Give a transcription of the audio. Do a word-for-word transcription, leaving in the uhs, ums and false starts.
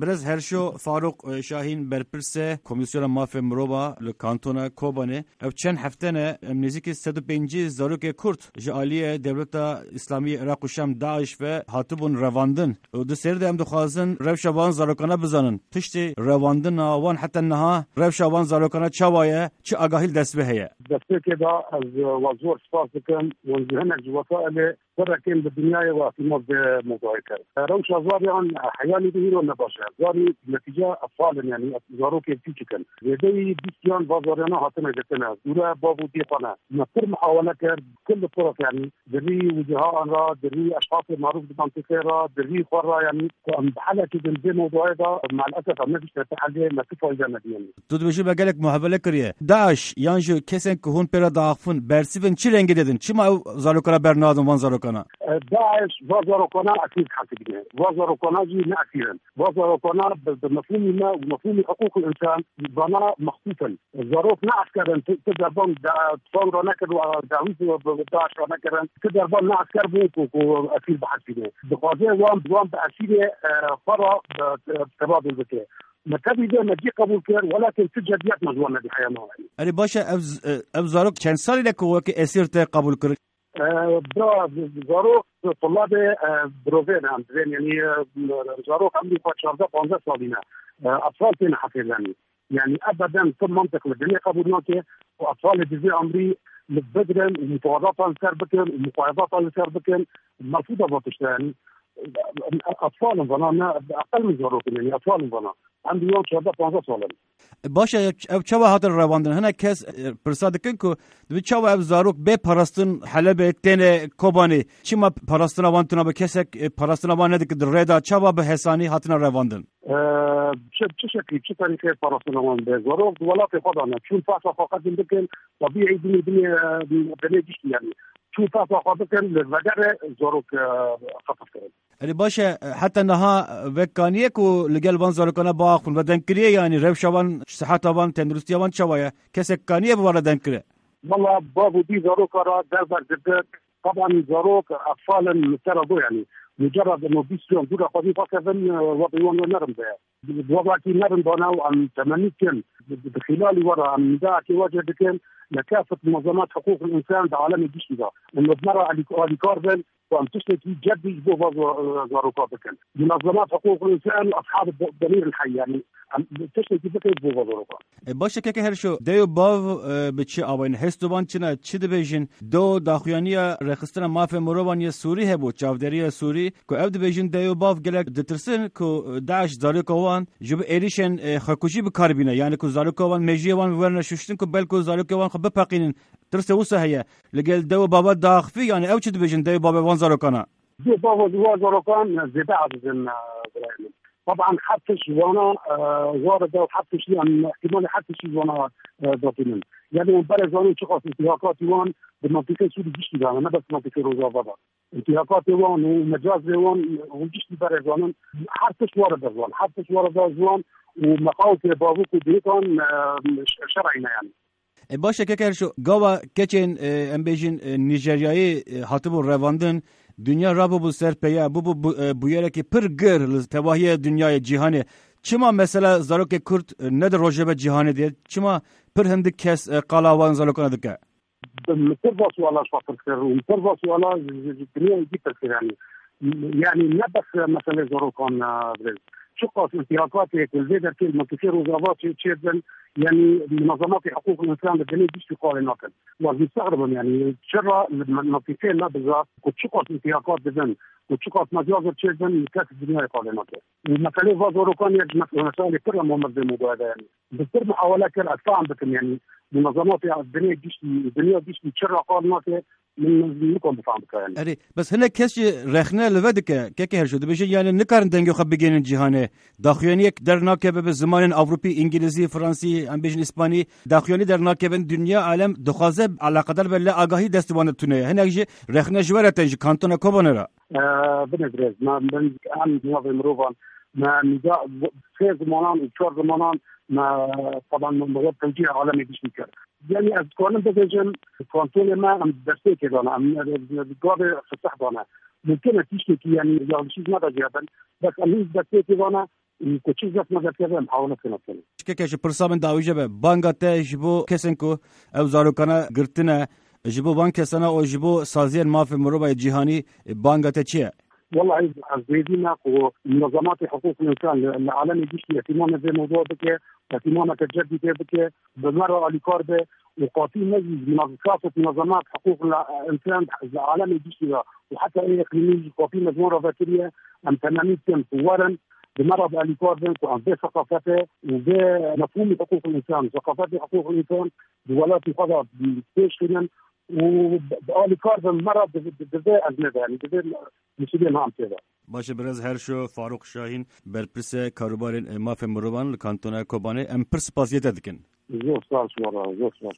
Birêz Herşo Farûq, e, Şahîn, berpirsê Komîsyona Mafê Mirova li Kantona Kobanê. Ev çend hefte ne em nêzîkî sed û pêncî zarokê Kurd ji aliyê Dewleta Îslamî yê Iraq û Şam, DAIŞ, ve hatibûn revandin. Û di serî de em dixwazin rewşa van zarokana bizanin. Piştî revandina wan heta niha rewşa van zarokana çawa ye? Çi agahî li destê we heye? Destpêkê de ez we zor spas dikim. Hûn ji hinek ji wesailê Sereke bi dinyayê ve îtimat bi mewduayê kir. Rewşa zariyan heyalî bi hîro ne baş e. Zarî netîce etfal in, yanî zarokê piçik in. Zêdeyî bîst yan va zariyana hatine girtine. Dûre bav û dê xwe ne. Me pir muhawele kir, kul li tiraf, yanî di rî wiciha an re, di rî eşxasê marûf di mantîqê re, di rî xwe re, yanî ku em bi helekê din vê mewduayê de, maalesef em nebîşte te helê me tu fayde nedî, yanî. Tu dibêjî me gelek muhawele kiriye. DAIŞ yan jî kesên ku hûn pê re diaxifin, bersivên çi rengî didin? Çima ew zarokana bernadin van zarokana? E, DAIŞ va zarokana esîr hesibîne. Va zarokana jî ne esîr in. Va zarokana bi, bi mefhûmî me û mefhûmî hiqûqil însan vana mextûf in. Zarok ne esker in, tu, tu derban da-, fan re nekir û dawî bi, bi DAIŞ re nekirin. Tu derban ne esker bû ku, ku esîr bihesibîne. Dixwaze wan, wan bi esîrê, e, xwe re bi, bi tebadul bike. Me tevî vê me cî qebûl kir, welakin tu cediyet me ji wan nedî heya me. Erê baş e, ev z-, e, ev zarok çend salî ne ku wekî esîr te qebûl kirin? E, bira, zarok, tulabê, e, birovê ne, em divên, yanî, e, zarok emrî xwe çardeh panzdeh salî ne. E, etraf têne hesêblenî. Yanî, ebeden tu mantiq li dinê qebûl nake ku etrafê di vê emrî li bigirin û mutawedatan li ser bikin û muqayedatan li ser bikin. Merfûda va tişte, yanî, Atfal in vana, ne, eqel min zarok in, yanî atfal in vana. Em di wan çardeh panzdeh sal in. Baş e, ev çawa hatin revandin? Hinek kes, e, pirsa dikin ku dibi çawa ev zarok bê parastin Helebê têne Kobanê? Çima parastina wan tune be? Kesek, e, parastina wan nedike di rê de, çawa bi hesanî hatine revandin? E, çi, çi şeklî, çi terîqê parastina wan be? Zarok di welatê xwe de ne. Çûn fehsa xwe qedîn bikin, tebîî dinê, dinê, e, dinê giştî, yanî. Çûn fehsa xwe bikin, li vegerê zarok, e, xetif kirin. Erê baş e, heta niha vek kaniye ku li gel van zarokana biaxifin, ve deng kiriye, yanî rewşa wan, siheta wan, tenduristiya wan çawa ye? Kesek kaniye bi wan re deng kire? Wala bav û dî zaroka re derber girdik. Taban zarok, atfal in, li ser do, yanî mucerred in û bîst yan dûra xwedî xwe kevin, e, wextê wan we nerin be. Wextakî nerin dane û em temennî dikin, di, di, di xîlalî we re em nîdayekê we jê dikin, li kafet munezemat hiqûqil însan di alemê giştî de. Em li me re alî-, alîkar bin, ku em tiştekî cedî ji bo va za-, zaroka bikin. Munezemat hiqûqil însan, eshab de-, demîr el hey, yanî em tiştekî bikin ji bo va zaroka. E, baş e, keke Herşo, dey û bav, e, bi çi awayîn? Hêst û van çi ne? Çi dibêjin? Do daxuyaniya rêxistina mafê mirovan yê Sûrî hebû, çavdêriya Sûrî, ku ev dibêjin dey û bav gelek ditirsin ku DAIŞ zaroka wan ji bo êrîşên, e, xwekujî bi kar bîne, yanî ku zaroka wan, mejiyê wan werine şuştin ku belku zarokê wan xwe bipeqînin. Tirsê wisa heye. Li gel dey û bava diaxifî, yanî ew çi dibêjin dey û bavê van zarokana? Dê bava ji wan zarokan zêde ezîz in, e, birayê min. Taban her tişt ji wana, e, war e da û her tiştî em îhtîmalê her tiştî ji wana, e, datînin. Yanî em berê zanin çiqas îtîhakatî wan di mantîqê Sûrî giştî de ne, ne bes mantîqê Rojava de. Îtîhakatê wan û mecazê wan û giştî berê zanin her tişt war e da ji wan. Her tişt war e da ji wan û meqawtê bavûk û dêkan, e, ş-, şer'î ne yanî. E, baş e, keke Herşo, gava keçên, e, em bêjin, e, Nîjeryayê, e, hatibû revandin, dinya rabûbû ser peye, bûbû bu-, e, bûyerekî pir gir li tevahiya dinyayê, cîhanê. Çima mesela zarokê Kurd, e, ne di rojeve cîhanê de? Çima pir hindik kes, e, qala wan zarokan dike? Min pir va suala ji xwe pirs kir û min pir va suala ji, ji, ji dinyayê dî pirs kir, yanî. Yanî ne bes meselê zarokan, e, birêz. Çiqas îtîhakatê ku li vê derkê li mintîqê Rojava çê, çêdibin, yanî munezematê hiqûqil însan li dinê giştî qalê nakin. Wan mistexrib im, yanî çira li min-, mintîqê me biza ku çiqas îtîhakat dibin, ku çiqas mecazir çêdibin, kes dinyayê qalê nake. Û meselê va zarokan yek ji mes-, meselê pir em omir dê mûdaya de, yanî. Bi pir muhawele kir, ez fam bikim, yanî munezematê dinê giştî, dinya giştî çira qal nake, min, min nikom bifam bika, yanî. Erê, bes hinek kes jî rexne li ve dike, keke Herşo, dibêjin, yanî nikarin dengê xwe bigihînin cîhanê. Daxuyaniyek dernakeve bi zimanên Ewropî, Îngilîzî, Fransî, em bêjin Îspanî, daxuyanî dernakevin, dinya, alem dixwaze eleqedar be, lê agahî destê wan de tune ye. Hinek jî rexne ji we re tên, ji kantona Kobanê re. E, binê birêz, me, min, em navê mirovan, me nîda sê zimanan û çar zimanan me, taban me, me wek tewcîhê alemê giştî kir. Yanî ez dikarim bibêjim, kantonê me em destpêkê dane, em, e, gavê fisih dane. Mumkin e tiştekî, yanî yanlişî ji me re jî hebin, bes em hîn destpêkê dane, û ku çi zehf me derkeve em hawle kene kene. Keke ji pirsa min dawîje be, banga te ji bo kesên ku ew zarokana girtine, ji bo van kesana û ji bo saziyên mafê mirovayê cîhanî, banga te çi ye? Wallahî ez dêvî me ku munezematê hiqûqil însan li, li alemê giştî îhtîmamê vê mewdûa bike, îhtîmameke cedî pê bike, bi me re alîkar be û qatî me jî ji munezemat, munezemat hiqûqil însan li alemê giştî re û heta ê îqlîmî jî qatî me ji wan re vekiriye, em temennî dikin ku werin, bi me re bi alîkar bin ku em vê seqafetê û vê mefhûmî hiqûqil însan, seqafetê hiqûqil însan di welatî xwe de pêş xînin û bi, bi alîkar bin me re di, di, di vê ezmê de, yanî di vê misûliyê me em tê de. Baş e, birêz Herşo Farûq Şahîn, berpirsê karûbarên, e, mafê mirovan li Kantona Kobanê, em pir spasiyê te dikin. Zor spas, wala, zor spas.